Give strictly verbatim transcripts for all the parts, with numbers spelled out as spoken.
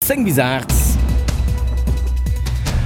Zéng bis aacht.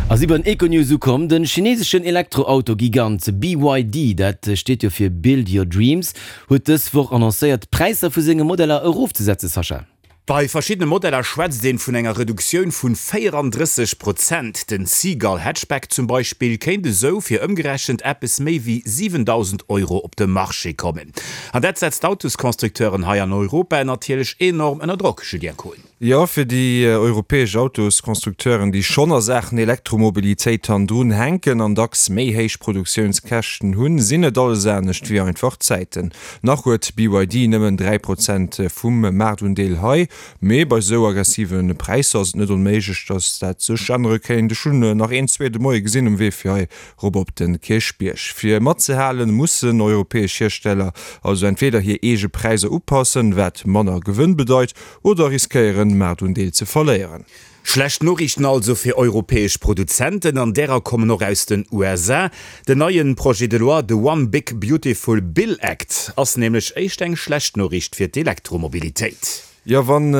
A si bei den Econews ukomm. De chineseschen Elektroauto-Gigant B Y D, dat steet jo fir Build Your Dreams, huet dës Woch annoncéiert, d'Präisser vu senge Modeller erofzesetzen, Sascha. Bei verschiddene Modeller schwätzt een vun enger Reduktioun vun véierandrësseg Prozent. Den Seagull Hatchback zum Beispill kéint esou fir ëmgerechent eppes méi wéi siwendausend Euro op de Marché kommen. An dat setzt d'Autosconstructeuren hei an Europa natierlech enorm ënner Drock, Julien Kohn. Jo, fir déi europäesch Autosconstructeuren, déi schonn a Saachen Elektromobilitéit hannendrun hänken an dacks méi héich Produktiounskäschten hunn, sinn et alles anescht wéi einfach Zäiten. Nach huet B Y D nëmmen dräi Prozent vum Maartundeel hei, mee bei sou aggressive Präisser ass et net onméiglech, datt dat sech ännere kéint. Ech hunn nach een zwee de Moie gesinn um Wee fir hei rop op de Kierchbierg. Fir matzehalen, mussen europäesch Hiersteller also entweder hir eege Präisser upassen, wat manner Gewënn bedeit, oder riskéieren, Maartundeel ze verléieren. Schlecht Noriichten also fir europäesch Produzenten, an därer kommen och aus den U S A. Den neien Projet de loi, de One Big Beautiful Bill Act, ass nämlech éischt eng schlecht Noriicht fir d'Elektromobilitéit. Jo, wann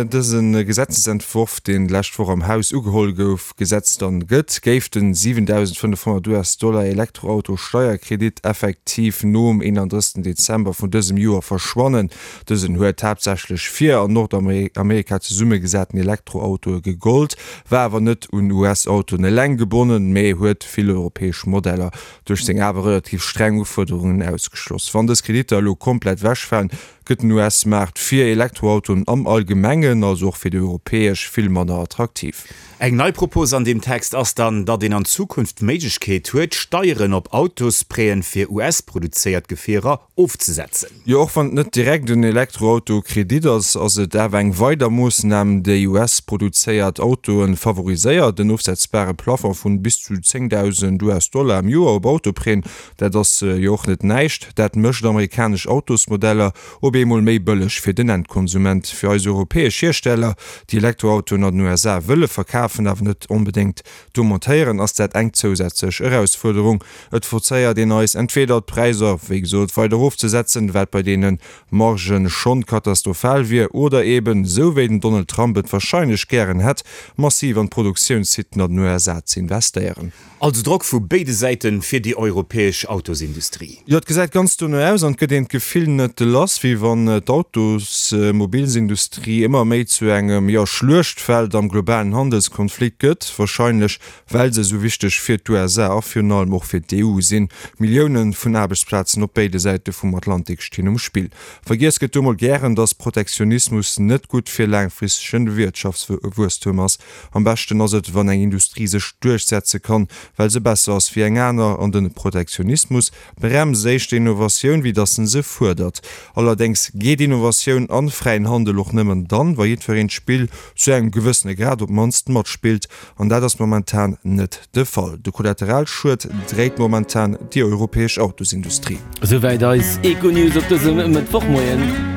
dëse Gesetzesentworf, deen d'lescht Woch am Haus ugeholl gouf, Gesetz dann gëtt, géif den siwendausendfënnefhonnert U S-Dollar Elektroauto-Steierkredit effektiv nom eenandrëssegsten Dezember vun dësem Joer verschwannen. Dësen huet haaptsächlech fir an Nordamerika zesummegesaten Elektroautoe gegollt, war awer net un U S-Autoen eleng gebonnen, mee huet vill europäesch Modeller duerch seng awer relativ streng Ufuerderungen ausgeschloss. Wann dës Kreditter elo komplett ewechfalen, gëtt den U S-Maart fir Elektroautoen am Allgemengen, also och fir déi europäesch, vill manner attraktiv. Eng nei Propos an deem Text ass dann, datt een an Zukunft d'Méiglechkeet huet, Steieren op Autosprêten fir U S-produzéiert Gefierer ofzesetzen. Jo, och wann et net direkt en Elektroauto-Kredit ass, ass et awer eng weider Moossnam, déi U S-produzéiert Autoe favoriséiert. En ofsetzbare Plafond vun bis zu zéngdausend U S-Dollar am Joer op Autoprêten, dat ass jo och net näischt. Dat mécht amerikanesch Autosmodeller op eemol méi bëlleg fir den Endkonsument. Fir eis europäesch Hiersteller, déi Elektroautoen an den U S A wëlle verkafen, awer net onbedéngt do montéieren, ass dat eng zousätzlech Erausfuerderung. Et forcéiert een eis entweder d'Präisser, wéi gesot, weider erofzesetzen, wat bei deene Margen schonn katastrophal wier, oder eben, sou wéi den Donald Trump et warscheinlech gären hätt, massiv an d'Produktiounssiten an den U S A ze investéieren. Also Drock vu béide Säiten fir déi europäesch Autosindustrie. Jo, et gesäit ganz dono aus an et gëtt een d'Gefill net lass, wéi wann d'Autosmobilsindustrie ëmmer méi zu engem, jo, Schluechtfeld am globalen Handelskonflikt gëtt. Warscheinlech well se esou wichteg fir d'U S A a virun allem och fir d'E U sinn. Millioune vun Aarbechtsplazen op béide Säite vum Atlantik stinn um Spill. Vergiess gëtt do mol gären, datt Protektionismus net gutt fir laangfristegen Wirtschaftswuesstum ass. Am beschten ass et, wann eng Industrie sech duerchsetze kann, well se besser ass wéi eng aner, an de Protektionismus bremst éischter Innovatioun, wéi datt en se fuerdert. Allerdéngs geet Innovatioun an fräien Handel och nëmmen dann, wa jiddwereen d'Spill zu engem gewëssene Grad op d'mannst matspillt, an dat ass momentan net de Fall. De Kollateralschued dréit momentan déi europäesch Autosindustrie. Esouwäit eis Econews op dësem Mëttwochmoien.